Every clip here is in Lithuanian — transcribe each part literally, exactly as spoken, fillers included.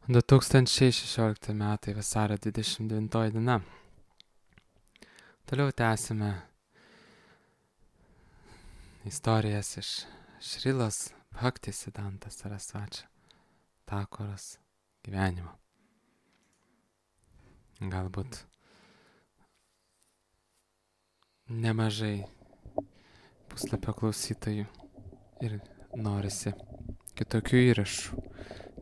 du tūkstančiai šešiolikti metai vasario dvidešimt devintoji diena. Toliau tęsime istorijas iš Šrilos Bhaktisiddhanta Sarasvačio Thakuros gyvenimo. Galbūt nemažai puslapio klausytojų ir norisi kitokių įrašų,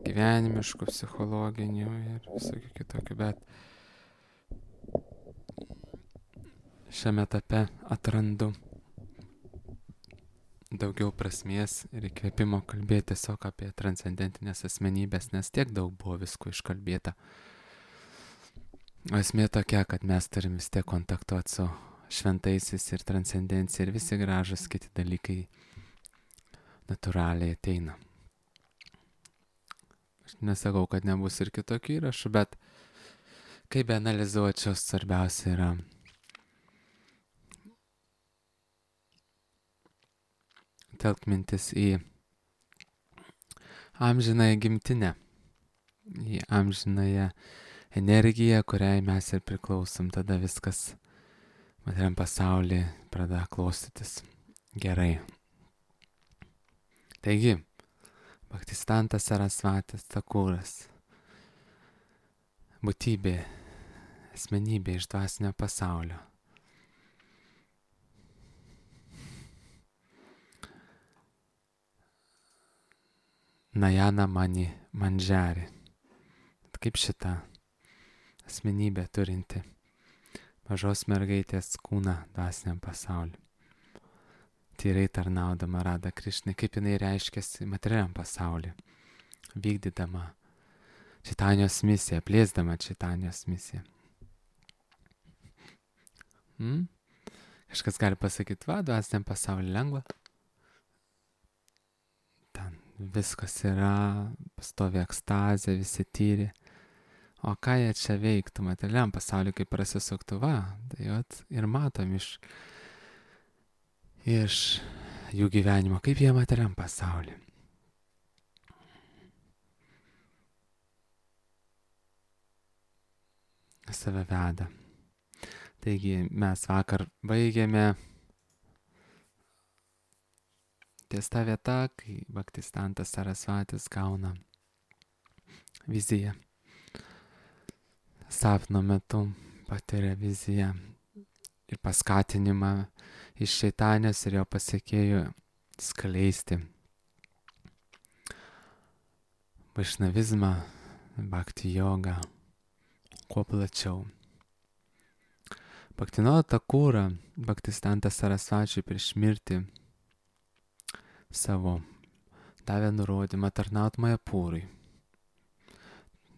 gyvenimiškų, psichologinių ir visokių kitokių, bet šiame etape atrandu daugiau prasmės ir įkvėpimo kalbėti tiesiog apie transcendentinės asmenybės, nes tiek daug buvo visko iškalbėta. O esmė tokia, kad mes turim vis tiek kontaktuoti su šventaisiais ir transcendencija ir visi gražus kiti dalykai natūraliai ateina. Aš nesakau, kad nebus ir kitokių įrašų, bet kaip be analizuočiau, svarbiausia yra telkt mintis į amžinąją gimtinę, į amžinąją energiją, kuriai mes ir priklausom. Tada viskas materialiam pasaulyje pradeda klostytis gerai. Taigi, Bhaktisiddhantas Sarasvatis Thakuras, būtybė, asmenybė iš dvasinio pasaulio. Najana Mani Manjari. Kaip šita asmenybė turinti mažos mergaitės kūną dvasiniam pasauliu. Tyrai tarnaudama Radha Krišnai, kaip jinai reiškiasi materialiam pasauliu, vykdydama Čaitanijos misiją, plėsdama Čaitanijos misiją. Hmm? Kažkas gali pasakyti, va, dvasiniam pasauliu lengva. Ten viskas yra, pastovi ekstazė, visi tyri. O ką jie čia veiktų materialiam pasauliu, kaip prasisuktų, va, tai vat, ir matom iš, iš jų gyvenimo, kaip jie materialiam pasauliu. Save veda. Taigi mes vakar baigėme ties ta vieta, kai Bhaktisiddhantas Sarasvatis gauna viziją. Sapno metu patiria viziją ir paskatinimą iš Čaitanijos ir jo pasekėjų skleisti vaišnavizmą, bhakti jogą kuo plačiau. Bhaktivinoda Thakurą Bhaktisiddhantas Sarasvačiui prieš mirtį savo davė nurodymą tarnaut Majapūrui.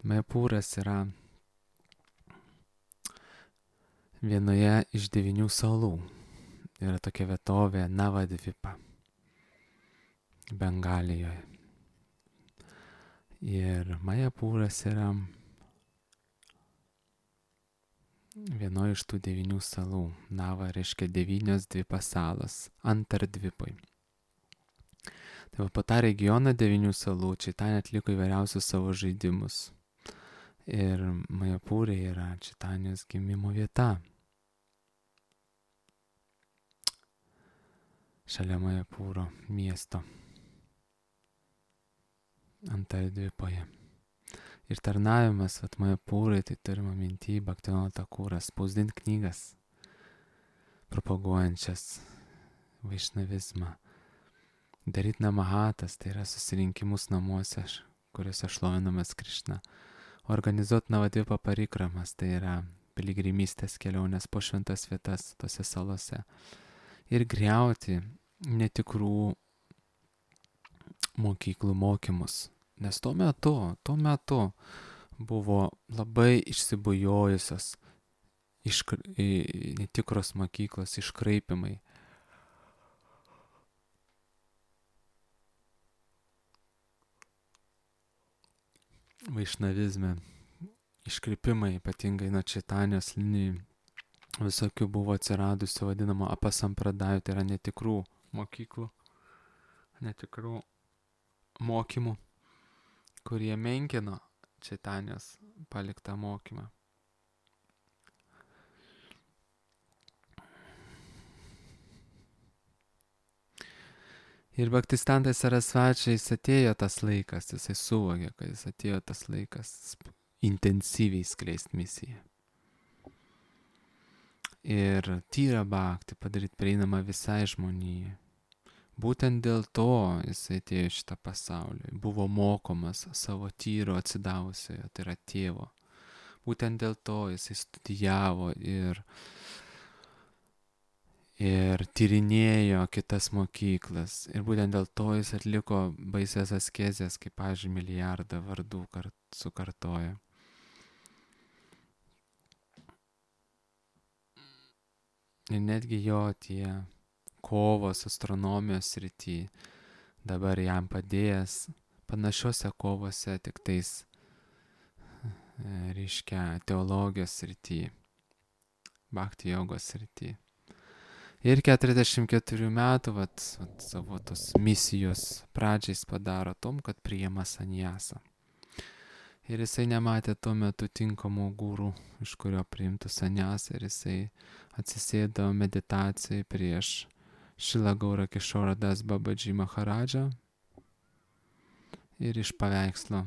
Majapūras yra vienoje iš devynių salų. Yra tokia vietovė Navadvipa, Bengalijoje. Ir Majapūras yra vienoje iš tų devynių salų. Nava reiškia devynios dvipa salos, Antardvipoj. Tai va, po tą regioną devynių salų Čaitanija atliko įvairiausius savo žaidimus. Ir Majapūrė yra Čaitanijos gimimo vieta. Šalia Majapūro miesto. Antardvipoje. Ir tarnavimas vat Majapūrai, tai turima minty Bhaktivinoda Thakurą, spausdinti knygas, propaguojančias vaišnavizmą. Daryti namahatas, tai yra susirinkimus namuose, kuriuose šlovinamas Krišna. Organizuoti Navadvipa parikramas, tai yra piligrimystės kelionės po šventas vietas tose salose. Ir griauti netikrų mokyklų mokymus. Nes tuo metu, tuo metu buvo labai išsibujojusios iškra... netikros mokyklos, iškraipimai. Vaišnavizme, iškrypimai, ypatingai nuo Čaitanijos linijų, visokių buvo atsiradusių vadinamo apasampradajų, tai yra netikrų mokyklų, netikrų mokymų, kurie menkino Čaitanijos paliktą mokymą. Ir Bhaktistantai Sarasvačiais atėjo tas laikas, jisai suvokė, kad jis atėjo tas laikas intensyviai skleisti misiją. Ir tyrą bhakti padaryti prieinamą visai žmonijai. Būtent dėl to jisai atėjo šitą pasaulį, buvo mokomas savo tyro atsidavusiojo, tai yra tėvo. Būtent dėl to jisai studijavo ir ir tyrinėjo kitas mokyklas. Ir būtent dėl to jis atliko baisias askezės, kaip, pavyzdžiui, milijardą vardų kart, sukartojo. Ir netgi jo tie kovos astronomijos srity dabar jam padėjęs panašiose kovose, tik tais, reiškia, teologijos srity, bhakti jogos srity. Ir keturiasdešimt keturių metų vat, vat, savo tos misijos pradžiais padaro tom, kad priima sanjasą. Ir jisai nematė tuo metu tinkamo gūrų, iš kurio priimtų sanjasą, ir jisai atsisėdo meditacijai prieš Šrila Gaura Kishora Das Babadži Maharadžą ir iš paveikslo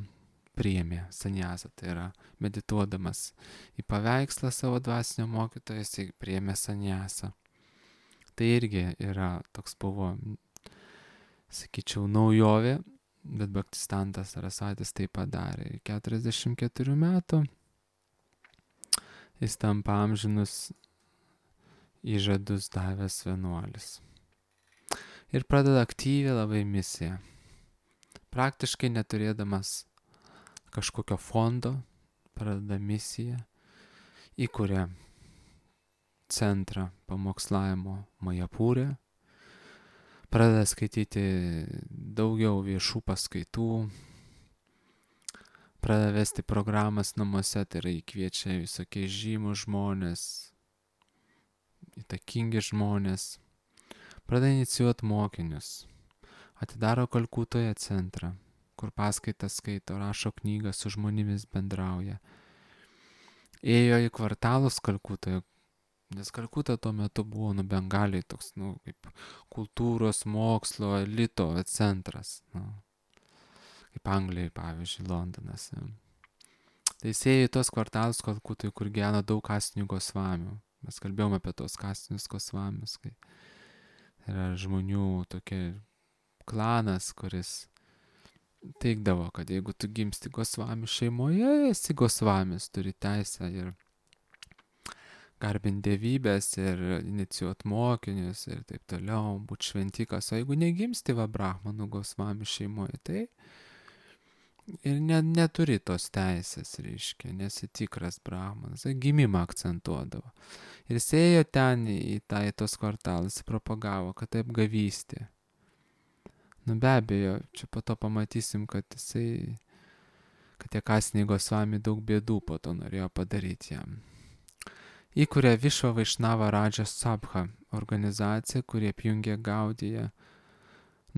priėmė sanjasą, tai yra medituodamas į paveikslą savo dvasinio mokytojo, jisai priėmė sanjasą. Tai irgi yra toks buvo, sakyčiau, naujovė, bet Bhaktistantas Sarasvatis tai padarė. keturiasdešimt keturių metų jis tampa amžinus įžadus davęs vienuolis. Ir pradeda aktyviai labai misiją. Praktiškai neturėdamas kažkokio fondo, pradeda misiją, įkuria centrą pamokslavimo Majapūre, pradeda skaityti daugiau viešų paskaitų, pradeda vesti programas namuose, tai yra įkviečia visokie žymus žmonės, įtakingi žmonės, pradeda inicijuoti mokinius, atidaro Kalkutoje centrą, kur paskaitas skaito, rašo knygą, su žmonėmis bendrauja. Ėjo į kvartalus Kalkutoje, nes Kalkuta tuo metu buvo, nu, Bengaliai toks, nu, kaip kultūros, mokslo, elito centras, nu, kaip Anglijai, pavyzdžiui, Londonas. Ja. Tai jis ėjo į tos kvartalus Kalkutoje, kur gyveno daug kasinių gosvamių. Mes kalbėjome apie tos kasinius gosvamius, kai yra žmonių tokia klanas, kuris teigdavo, kad jeigu tu gimsti gosvamių šeimoje, esi gosvamis, turi teisę ir garbinti dievybės ir inicijuoti mokinius ir taip toliau, būti šventikas. O jeigu negimsti va brahmanų gosvamių šeimoje, tai ir ne, neturi tos teisės, reiškia, nesi tikras brahmanas. Gimimą akcentuodavo. Ir jis ėjo ten į, tą, į tos kvartalus, propagavo, kad taip gavystė. Nu be abejo, čia po to pamatysim, kad jisai, kad tie kasiniai gosvamiai daug bėdų po to norėjo padaryti jam. Įkuria Višva Vaišnava Radža Sabha organizacija, kurie apjungia Gaudiją,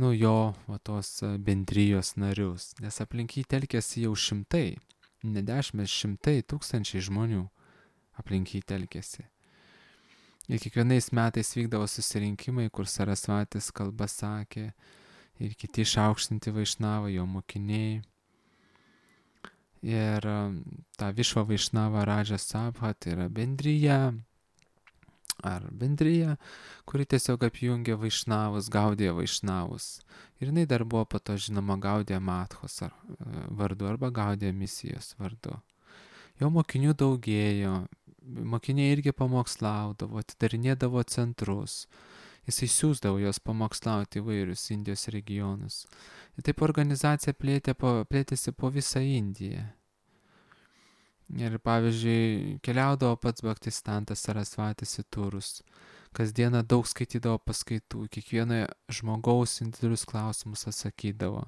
nu jo va, tos bendrijos narius, nes aplink jį telkėsi jau šimtai, ne dešimt, šimtai, tūkstančiai žmonių aplink jį telkėsi. Ir kiekvienais metais vykdavo susirinkimai, kur Sarasvatis kalbą sakė ir kiti išaukštinti Vaišnavą, jo mokiniai. Ir ta Višva Vaišnava Radža Sabha, tai yra bendryja, ar bendryja, kuri tiesiog apjungia Vaišnavus, Gaudiją Vaišnavus. Ir jinai dar buvo po to žinoma Gaudija Mathos vardu arba Gaudija misijos vardu. Jo mokinių daugėjo, mokiniai irgi pamokslaudavo, atidarinėdavo centrus. Jisai siūsdavo jos pamokslauti įvairius Indijos regionus. Ir taip organizacija plėtė po, plėtėsi po visą Indiją. Ir pavyzdžiui, keliaudavo pats Bhaktistantas Sarasvatis į turus. Kasdieną daug skaitydavo paskaitų, kiekvieno žmogaus individualius klausimus atsakydavo.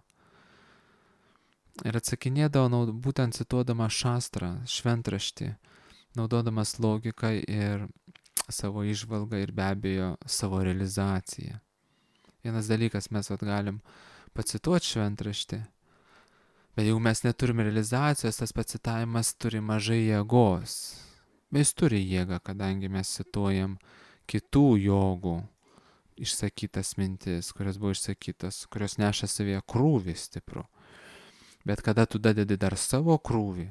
Ir atsakinėdavo naud, būtent cituodama šastrą, šventraštį, naudodamas logiką ir savo įžvalgą ir be abejo savo realizaciją. Vienas dalykas, mes vat galim pacituoti šventraštį, Bet jeigu mes neturime realizacijos, tas pats citavimas turi mažai jėgos. Bet jis turi jėgą, kadangi mes cituojam kitų jogų išsakytas mintis, kurios buvo išsakytas, kurios neša savyje krūvį stiprų. Bet kada tu dadedi dar savo krūvį,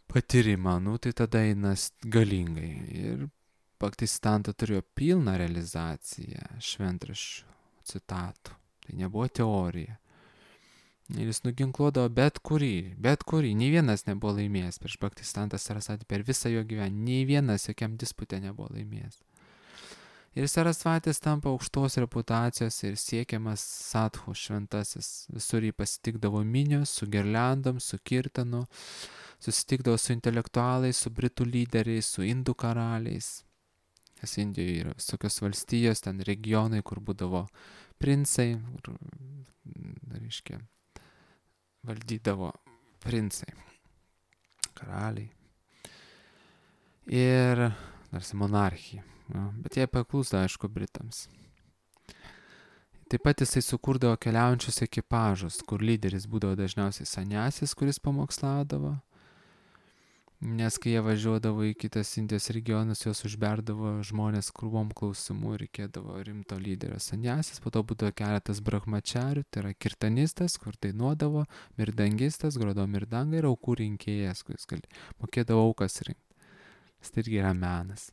patyrimą, nu tai tada einas galingai. Ir Bhaktisiddhanta turėjo pilną realizaciją šventraščių citatų. Tai nebuvo teorija. Ir jis nuginkluodavo bet kurį, bet kurį. Nei vienas nebuvo laimėjęs prieš Bhaktisiddhantą Sarasvatį per visą jo gyvenimą. Nei vienas jokiam dispute nebuvo laimėjęs. Ir Sarasvatis tampa aukštos reputacijos ir siekiamas sadhu šventasis. Visur jį pasitikdavo minios, su girliandom, su kirtanu, susitikdavo su intelektualais, su britų lyderiais, su indų karaliais. Nes Indijoje yra visokios valstijos, ten regionai, kur būdavo princai, kur, reiškia, valdydavo princai, karaliai. Ir tarsi monarchija. Ja, bet jie paklūsdavo, aišku, britams. Taip pat jisai sukurdavo keliaujančius ekipažus, kur lyderis būdavo dažniausiai sanjasis, kuris pamokslaudavo. Nes kai jie važiuodavo į kitas Indijos regionus, juos užberdavo žmonės krūvom klausimų ir reikėdavo rimto lyderio sanjasis. Po to būdavo keletas brahmačarių, tai yra kirtanistas, kur dainuodavo, mirdangistas, grodavo mirdangą ir aukų rinkėjas, kuris gali, mokėdavo aukas rinkti. Tai irgi yra menas.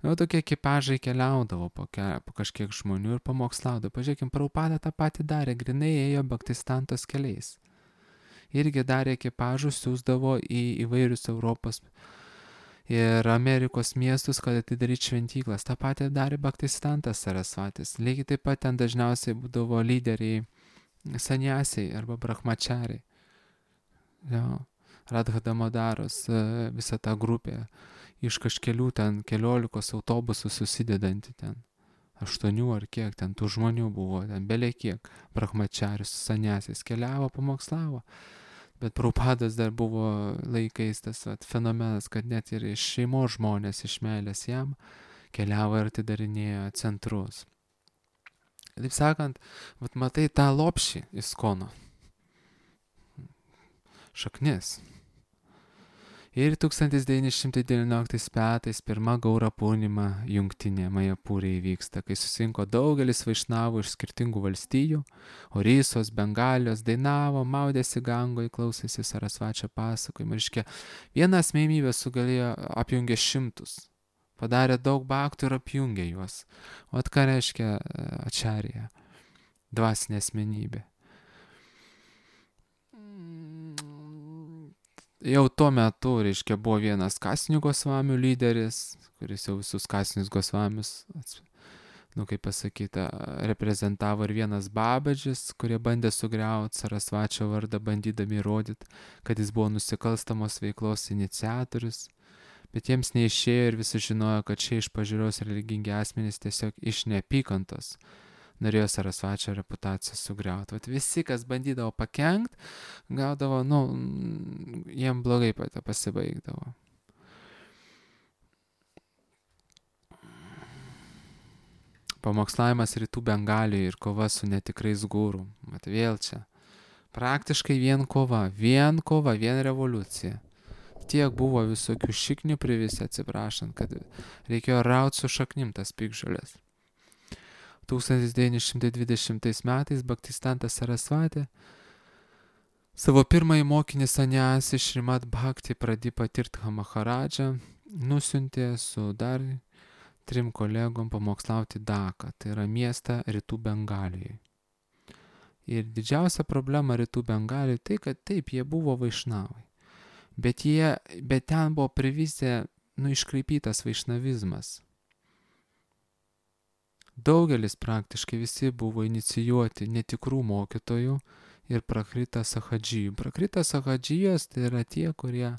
Na, tokie ekipažai keliaudavo po, ke, po kažkiek žmonių ir pamokslaudavo. Pažiūrėkim, Prabhupada tą patį darė, grinai ėjo Bhaktisiddhantos keliais. Irgi darė ekipažų, siūsdavo į įvairius Europos ir Amerikos miestus, kad atidaryti šventyklas. Ta patį darė Bhaktisiddhantas Sarasvatis. Lygiai taip pat ten dažniausiai būdavo lyderiai sanjasiai arba brahmačariai. Jo, Radha Damodaros, visa ta grupė iš kažkelių ten keliolikos autobusų susidedanti ten. Aštuonių ar kiek ten tų žmonių buvo, ten belie kiek brahmačarius sanjasiais keliavo, pamokslavo. Bet Prabhupadas dar buvo laikais tas vat, fenomenas, kad net ir iš šeimos žmonės iš meilės jam keliavo ir atidarinėjo centrus. Taip sakant, vat, matai tą lopšį ISKCONo šaknis. Ir tūkstantis devyni šimtai devynioliktais metais pirma Gaura Purnima jungtinė Majapūrė įvyksta, kai susirinko daugelis vaišnavų iš skirtingų valstijų, Orisos, Bengalijos, dainavo, maudėsi Gangoje, klausėsi Sarasvačio pasakojimų. Reiškia, viena asmenybė sugalėjo apjungė šimtus, padarė daug bhaktų ir apjungė juos. O ką reiškia ačarija, dvasinė asmenybė? Jau tuo metu, reiškia, buvo vienas kasinių gosvamių lyderis, kuris jau visus kasinius gosvamius, nu kaip pasakyta, reprezentavo, ir vienas Babadžis, kurie bandė sugriauti Sarasvačio vardą, bandydami įrodyti, kad jis buvo nusikalstamos veiklos iniciatorius, bet jiems neišėjo ir visi žinojo, kad šie iš pažiūros religingi asmenys tiesiog iš neapykantos norėjo Sarasvačio reputaciją sugriauti. Vat visi, kas bandydavo pakenkt, gaudavo, nu, jiem blogai pasibaigdavo. Pamokslavimas Rytų Bengalijoje ir kova su netikrais guru. Mat vėl čia. Praktiškai vien kova, vien kova, vien revoliucija. Tiek buvo visokių šiknių privisi, atsiprašant, kad reikėjo rauti su šaknim tas pikžolės. tūkstantis devyni šimtai dvidešimtais metais Bhaktisiddhanta Sarasvatė savo pirmąjį mokinį sanjasį Šrimad Bhakti Pradipą Tirtha Maharadžą nusiuntė su dar trim kolegom pamokslauti Daką, tai yra miestą Rytų Bengalijoje. Ir didžiausia problema Rytų Bengalijoje tai, kad taip, jie buvo vaišnavai, bet, jie, bet ten buvo privisę, nu, iškraipytas vaišnavizmas. Daugelis praktiškai visi buvo inicijuoti netikrų mokytojų ir prakrita sahadžijų. Prakrita sahadžijos tai yra tie, kurie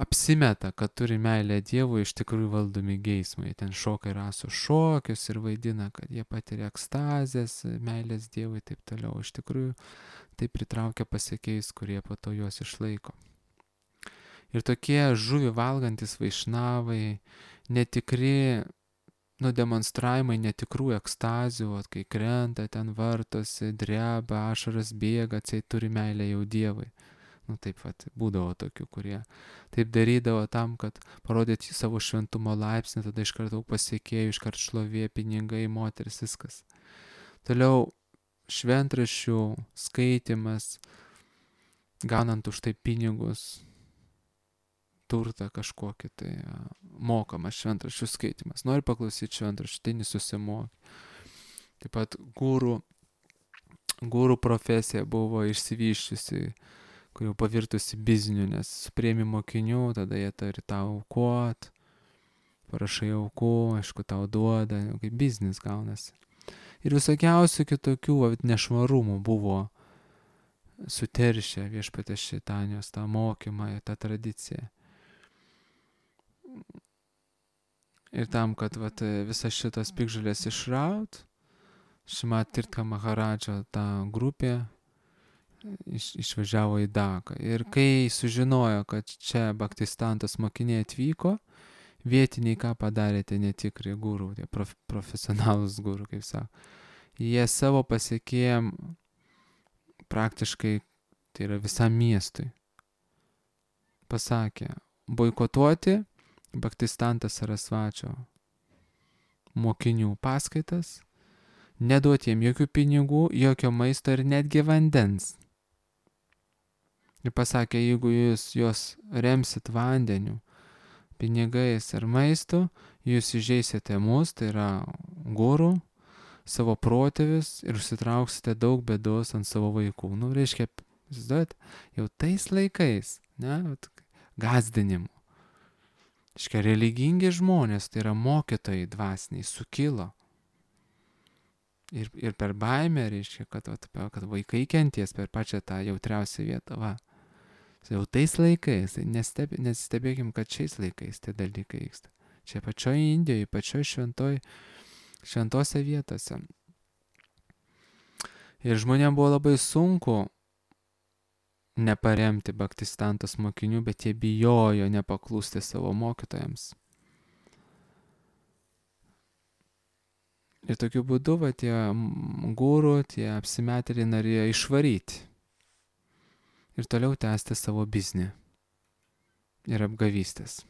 apsimeta, kad turi meilę Dievui, iš tikrųjų valdomi geismai. Ten šoka ir rasų šokius ir vaidina, kad jie patiria ekstazės, meilės Dievui ir taip toliau. Iš tikrųjų tai pritraukia pasekėjus, kurie po to juos išlaiko. Ir tokie žuvį valgantis vaišnavai, netikri nu, demonstravimai netikrų ekstazių, vat, kai krenta, ten vartosi, dreba, ašaras bėga, atseit turi meilę jau Dievui. Nu taip vat, būdavo tokių, kurie taip darydavo tam, kad parodyti savo šventumo laipsnį, tada iš karto pasiekėjų, iš karto šlovė, pinigai, moteris, viskas. Toliau šventraščių skaitimas, gaunant už tai pinigus, turtą kažkokį, tai mokamas šventraščių skaitimas. Nori paklausyti šventraščių, tai nesusimoki. Taip pat gūrų, gūrų profesija buvo išsivyščiusi, kur jau pavirtusi bizniu, nes supriemi mokinių, tada jie turi tau aukot, parašai aukų, aišku, tau duoda, kaip biznis gaunasi. Ir visokiausių kitokių nešvarumų buvo suteršę Viešpaties Šeitanijos tą mokymą, tą tradiciją. Ir tam, kad vat, visas šitas pikžulės išraut, Šrimat Tirtha Maharadžo ta grupė iš, išvažiavo į Daką. Ir kai sužinojo, kad čia Bhaktistantos mokiniai atvyko, vietiniai ką padarė, tie netikri gurų, tie prof, profesionalus gurų, kaip sako. Jie savo pasiekėjom praktiškai, tai yra visam miestui, pasakė, boikotuoti Bhaktistanta Sarasvačio mokinių paskaitas, neduoti jiem jokių pinigų, jokio maisto ir netgi vandens. Ir pasakė, jeigu jūs juos remsit vandeniu, pinigais ir maistu, jūs įžeisite mus, tai yra gurų, savo protėvis ir užsitrauksite daug bėdos ant savo vaikų. Nu, reiškia, žinot, jau tais laikais, ne, gazdinimu. Reiškia, religingi žmonės, tai yra mokytojai dvasiniai, sukilo. Ir, ir per baimę, reiškia, kad, kad vaikai kenties per pačią tą jautriausią vietą. Va. Jau tais laikais, nestebė, nesistebėkim, kad šiais laikais tie dalykai vyksta. Čia pačioj Indijoje, pačioj šventoj, šventose vietose. Ir žmonėms buvo labai sunku neparemti Bhaktistantos mokinių, bet jie bijojo nepaklusti savo mokytojams. Ir tokiu būdu va, tie gurų, tie apsimetėliai norėjo išvaryti ir toliau tęsti savo biznį ir apgavystės.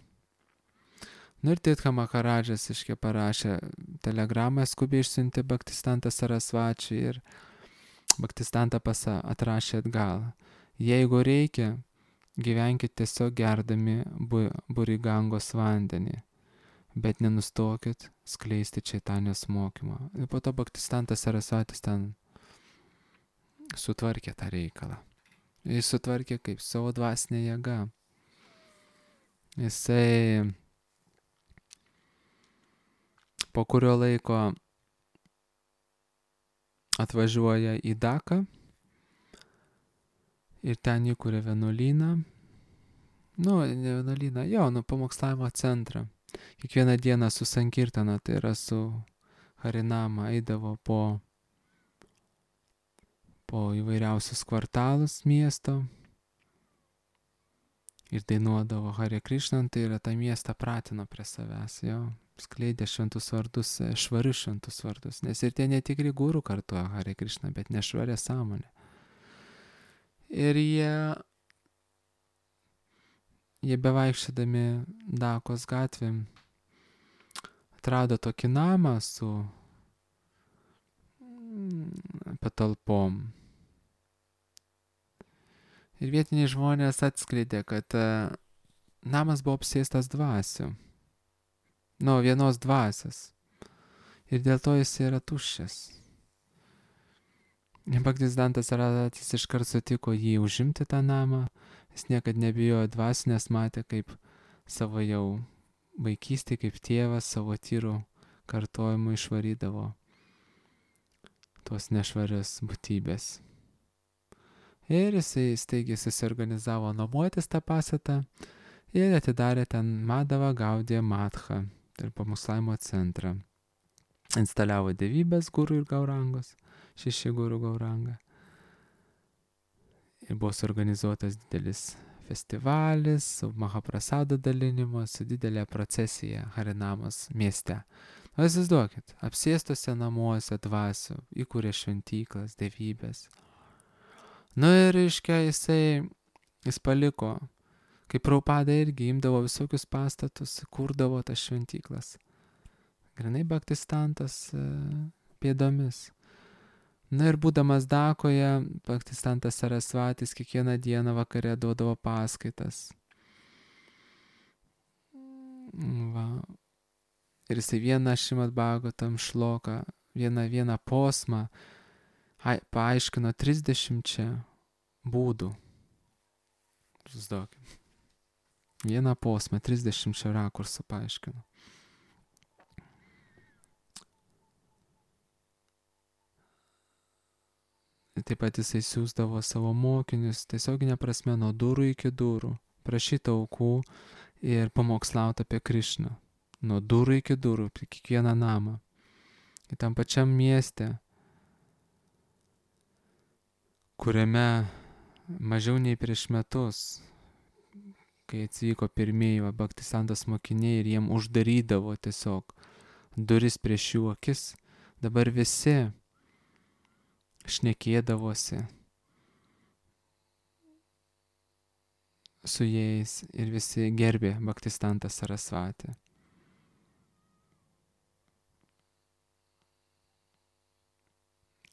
Nu ir Tirtha Maharadžas iškia parašė telegramą, skubiai išsiuntė Bhaktistantą Sarasvačiui ir Bhaktistantą pasa atrašė atgal. Jeigu reikia, gyvenkit tiesiog gerdami bu, Burigangos vandenį, bet nenustokit skleisti Čaitanijos mokymą. Ir po to Bhaktistantas Sarasvatis ten sutvarkė tą reikalą. Jis sutvarkė kaip savo dvasinė jėga. Jisai po kurio laiko atvažiuoja į Daką ir ten įkūrė vienuolyną. Nu, ne vienuolyną, jo, nu, pamokslavimo centrą. Kiekvieną dieną su sankirtana, tai yra su Harinama, eidavo po po įvairiausius kvartalus miesto ir dainuodavo Hare Krishna, tai yra tą miestą pratino prie savęs, jo, skleidė šventus vardus, švarius šventus vardus, nes ir tie netikri gurų kartuoja Hare Krishna, bet nešvarė sąmonė. Ir jie, jie bevaikščiodami Dakos gatvėm atrado tokį namą su patalpom. Ir vietiniai žmonės atskleidė, kad uh, namas buvo apsėstas dvasių. Nu, vienos dvasios. Ir dėl to jis yra tuščias. Bhaktistantas Sarasvatis iškart sutiko jį užimti tą namą. Jis niekad nebijojo dvasių, nes matė, kaip savo jau vaikystė, kaip tėvas savo tyrų kartojimu išvarydavo tuos nešvarius būtybės. Ir jisai staigiai susiorganizavo nuomotis tą pastatą ir atidarė ten Madhava Gaudiya Matha, tai pamokslavimo centrą. Instaliavo dievybės gurų ir gaurangos, šeši gurų gauranga. Ir buvo suorganizuotas didelis festivalis su Mahaprasado dalinimu, su didelė procesija Harinamos mieste. Vaizduokit, apsėstose namuose dvasių, įkūrė šventyklas, dievybės. Nu ir, reiškia, jisai, jis paliko, kaip Prabhupada irgi imdavo visokius pastatus, kurdavo tas šventyklas. Grinai Bhaktistantas pėdomis. Na ir būdamas Dakoje, Bhaktistantas Sarasvatis kiekvieną dieną vakare duodavo paskaitas. Va. Ir jisai vieną Šrimad Bhagavatam šloką, vieną, vieną posmą paaiškino trisdešimčia būdų. Susiduokim. Vieną posmą trisdešimčia rakursų paaiškino. Taip pat jisai siūsdavo savo mokinius tiesioginė prasme nuo durų iki durų, prašyti aukų ir pamokslauti apie Krišną. Nuo durų iki durų, prie kiekvieną namą. Ir tam pačiam mieste, kuriame mažiau nei prieš metus, kai atvyko pirmieji Bhaktisantos mokiniai ir jiem uždarydavo tiesiog duris prieš jų akis, dabar visi šnekėdavosi su jais ir visi gerbė Bhaktistantą Sarasvatį.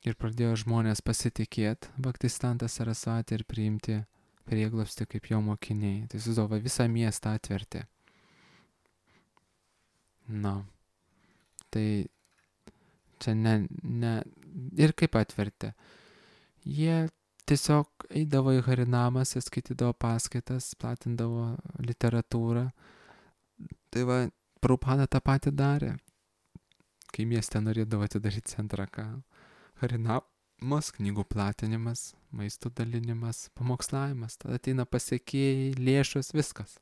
Ir pradėjo žmonės pasitikėti Bhaktistantą Sarasvatį ir priimti prieglobstį kaip jo mokiniai. Tai suzdavo visą miestą atvertė. Na, tai čia ne, ne, ir kaip atvertė. Jie tiesiog eidavo į Harinamas, skaitydavo paskaitas, platindavo literatūrą. Tai va, Prabhupada tą patį darė, kai mieste norėdavo atidaryti centrą, ką Harinamas, knygų platinimas, maisto dalinimas, pamokslavimas, tada ateina pasiekėjai, lėšos, viskas.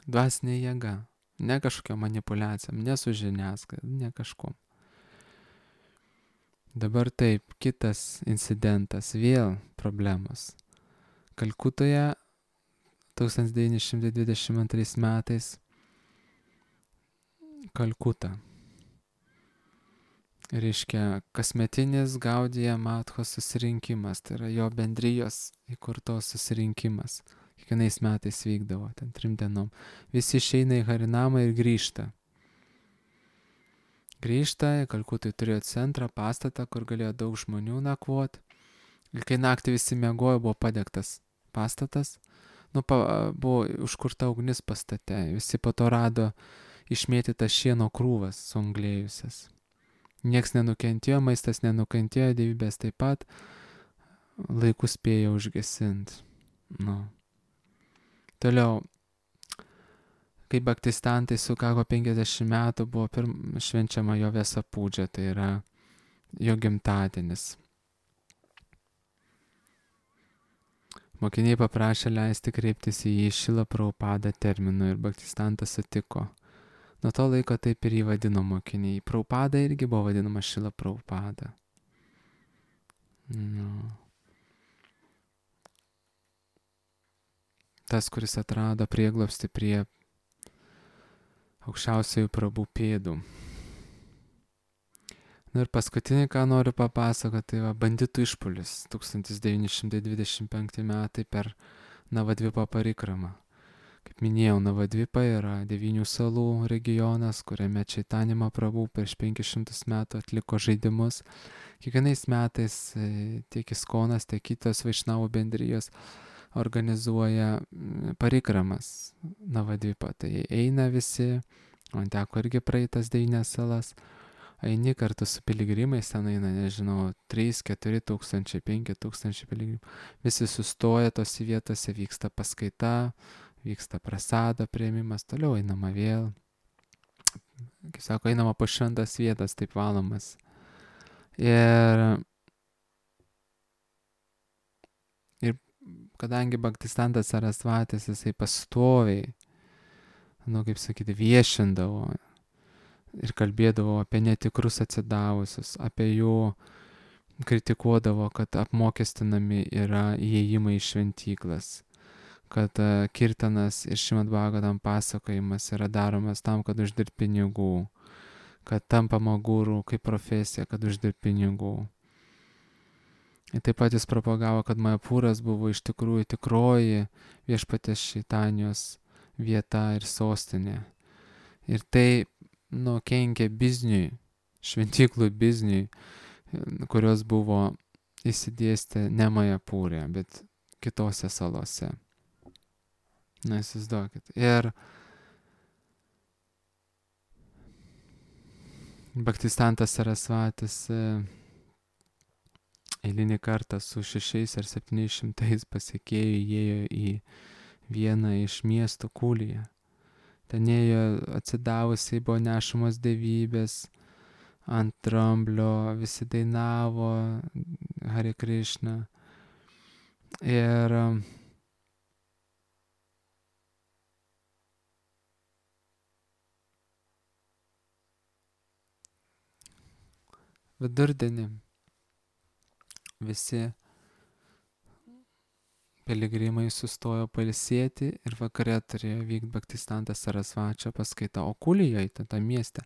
Dvasinė jėga, ne kažkokia manipuliacija, ne su žiniasklaida, ne kažkuom. Dabar taip, kitas incidentas, vėl problemos. Kalkutoje tūkstantis devyni šimtai dvidešimt antrais metais Kalkuta. Reiškia, kasmetinis Gaudija Mathos susirinkimas, tai yra jo bendrijos įkurtos susirinkimas. Kiekvienais metais vykdavo, ten trim dienom. Visi išeina į Harinamą ir grįžta. Grįžta, Kalkutai turėjo centrą, pastatą, kur galėjo daug žmonių nakvoti. Ir kai naktį visi miegojo, buvo padegtas pastatas. Nu, pa, buvo užkurta ugnis pastate. Visi po to rado išmėtytas šieno krūvas suanglėjusias. Niekas nenukentėjo, maistas nenukentėjo, dievybės taip pat. Laiku spėjo užgesinti. Nu. Toliau, kai Bhaktistantai sukako penkiasdešimt metų, buvo pirm, švenčiama jo Vesa Pūdžia, tai yra jo gimtadienis. Mokiniai paprašė leisti kreiptis į jį Šrila Prabhupada terminu ir Bhaktistantas sutiko. Nuo to laiko taip ir jį vadino mokiniai. Prabhupada irgi buvo vadinama Šrila Prabhupada. Nu. Tas, kuris atrado prieglobstį prie aukščiausiųjų Prabhu pėdų. Nu ir paskutinį, ką noriu papasakoti, tai va banditų išpuolis tūkstantis devyni šimtai dvidešimt penkti metai per Navadvipą parikramą. Kaip minėjau, Navadvipa yra devynių salų regionas, kuriame Čaitanija Mahaprabhu prieš penkis šimtus metų atliko žaidimus. Kiekvienais metais tiek Iskonas, tiek kitos Vaišnavų bendrijos organizuoja parikramas Navadvipą. Tai eina visi, man teko irgi praeitas devynias salas, eini kartu su piligrimais, ten eina, nežinau, trys keturi tūkstančiai, penki tūkstančiai piligrimų. Visi sustoja tose vietose, vyksta paskaita, vyksta prasado priėmimas, toliau einama vėl. Kaip sako, einama po šventas vietas, taip valomas. Ir kadangi Bhaktistantas Sarasvatis, jisai pastoviai, nu, kaip sakyti, viešindavo ir kalbėdavo apie netikrus atsidavusius, apie jų kritikuodavo, kad apmokestinami yra įėjimai į šventyklas, kad uh, kirtanas ir Šrimad Bhagavatam pasakojimas yra daromas tam, kad uždirb pinigų, kad tampama guru kaip profesija, kad uždirb pinigų. Ir taip pat jis propagavo, kad Majapūras buvo iš tikrųjų tikroji viešpatės Čaitanijos vieta ir sostinė. Ir tai, nu, kenkė bizniui, šventyklų bizniui, kurios buvo įsidėstę ne Majapūrė, bet kitose salose. Na, įsivaizduokit. Ir Bhaktistantas Sarasvatis eilinį kartą su šešiais ar septyniais šimtais pasekėjų įėjo į vieną iš miestų Kuliją. Ten ėjo atsidavusiai, buvo nešamos dievybės ant dramblio, visi dainavo Hare Krishna. Ir vidurdienį visi piligrimai sustojo pailsėti ir vakare turėjo vykti Bhaktistantas Sarasvačio paskaita. O Kulijoje, tame mieste,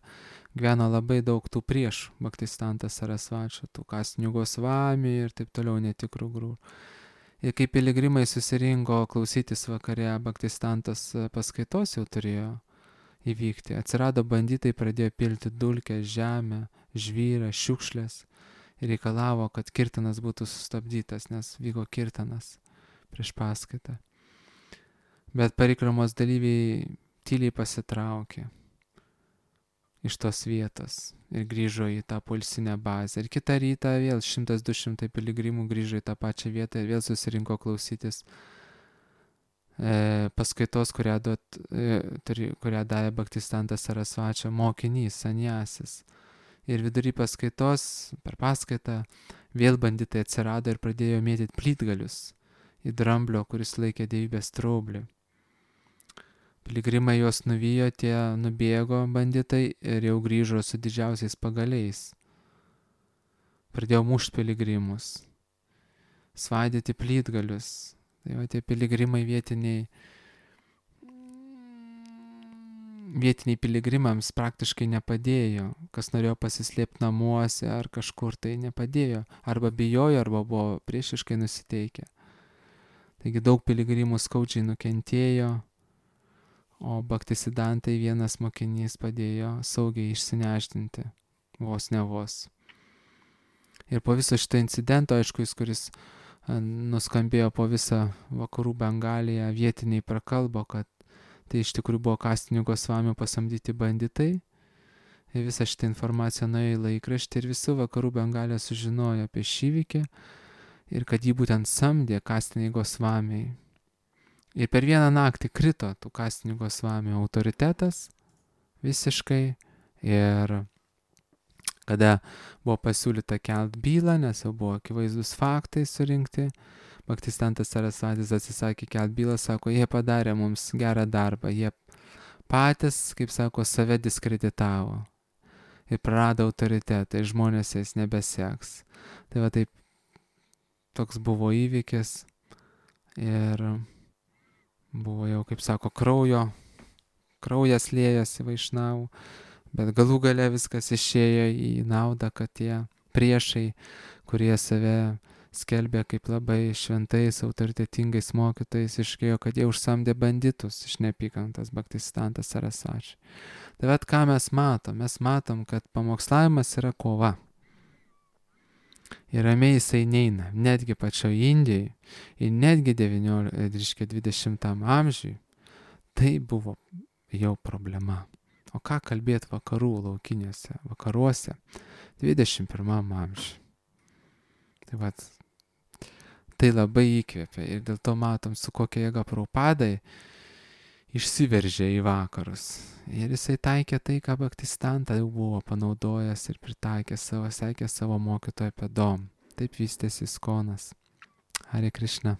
gyveno labai daug tų priešų Bhaktistantas Sarasvačio, tų Kasinių Gosvami ir taip toliau netikrų grūrų. Ir kai piligrimai susirinko klausytis vakare, Bhaktistantas paskaitos jau turėjo įvykti. Atsirado banditai, pradėjo pilti dulkę, žemę, žvyrą, šiukšlės ir reikalavo, kad kirtanas būtų sustabdytas, nes vyko kirtanas prieš paskaitą. Bet parikramos dalyviai tyliai pasitraukė iš tos vietos ir grįžo į tą poilsinę bazę. Ir kitą rytą vėl šimtas du šimtai piligrimų grįžo į tą pačią vietą ir vėl susirinko klausytis e, paskaitos, kurią, duot, e, turi, kurią davė Bhaktistantas Sarasvačio mokinys, sanjasis. Ir vidury paskaitos, per paskaitą, vėl banditai atsirado ir pradėjo mėtyti plytgalius į dramblio, kuris laikė dievybės straublį. Piligrimai juos nuvijo, tie nubėgo banditai ir jau grįžo su didžiausiais pagaliais. Pradėjo mušti piligrimus, svaidyti plytgalius. Tai va, tie piligrimai vietiniai, vietiniai piligrimams praktiškai nepadėjo. Kas norėjo pasislėpti namuose ar kažkur, tai nepadėjo. Arba bijojo, arba buvo priešiškai nusiteikę. Taigi daug piligrimų skaudžiai nukentėjo, o Bhaktisidantai vienas mokinys padėjo saugiai išsinešdinti, vos ne vos. Ir po viso šito incidento, aišku, jis, kuris nuskambėjo po visą vakarų Bengaliją, vietiniai prakalbo, kad tai iš tikrųjų buvo Kasinių Gosvamių pasamdyti banditai. Ir visą šitą informaciją nuėjo į laikraštį ir visi vakarų Bengalija sužinojo apie šį įvykį. Ir kad jį būtent samdė Kasiniai Gosvamiai. Ir per vieną naktį krito tų Kasinių Gosvamių autoritetas visiškai. Ir kada buvo pasiūlyta kelt bylą, nes jau buvo akivaizdus faktai surinkti, Bhaktistantas Sarasvatis atsisakė kelt bylą, sako, jie padarė mums gerą darbą, jie patys, kaip sako, save diskreditavo ir prarado autoritetą ir žmonės jais nebeseks. Tai va taip, toks buvo įvykis ir buvo jau, kaip sako, kraujo, kraujas liejosi Vaišnavų, bet galų gale viskas išėjo į naudą, kad tie priešai, kurie save skelbė kaip labai šventais, autoritetingais mokytojais, iškėjo, kad jie užsamdė banditus iš neapykantos Bhaktisidantas Sarasvačiui. Tai vat ką mes matom? Mes matom, kad pamokslavimas yra kova. Ir ramiai jisai neina, netgi pačioje Indijoje ir netgi dvidešimtam amžiui tai buvo jau problema. O ką kalbėti vakarų laukiniuose, vakaruose dvidešimt pirmam amžiui. Tai vat, tai labai įkvėpia ir dėl to matom, su kokia jėga Prabhupadai išsiveržė į vakarus. Ir jisai taikė tai, ką Bhaktistanta jau buvo panaudojęs ir pritaikė savo, sekė savo mokytojo pėdom. Taip vystėsi Iskonas. Hare Krishna.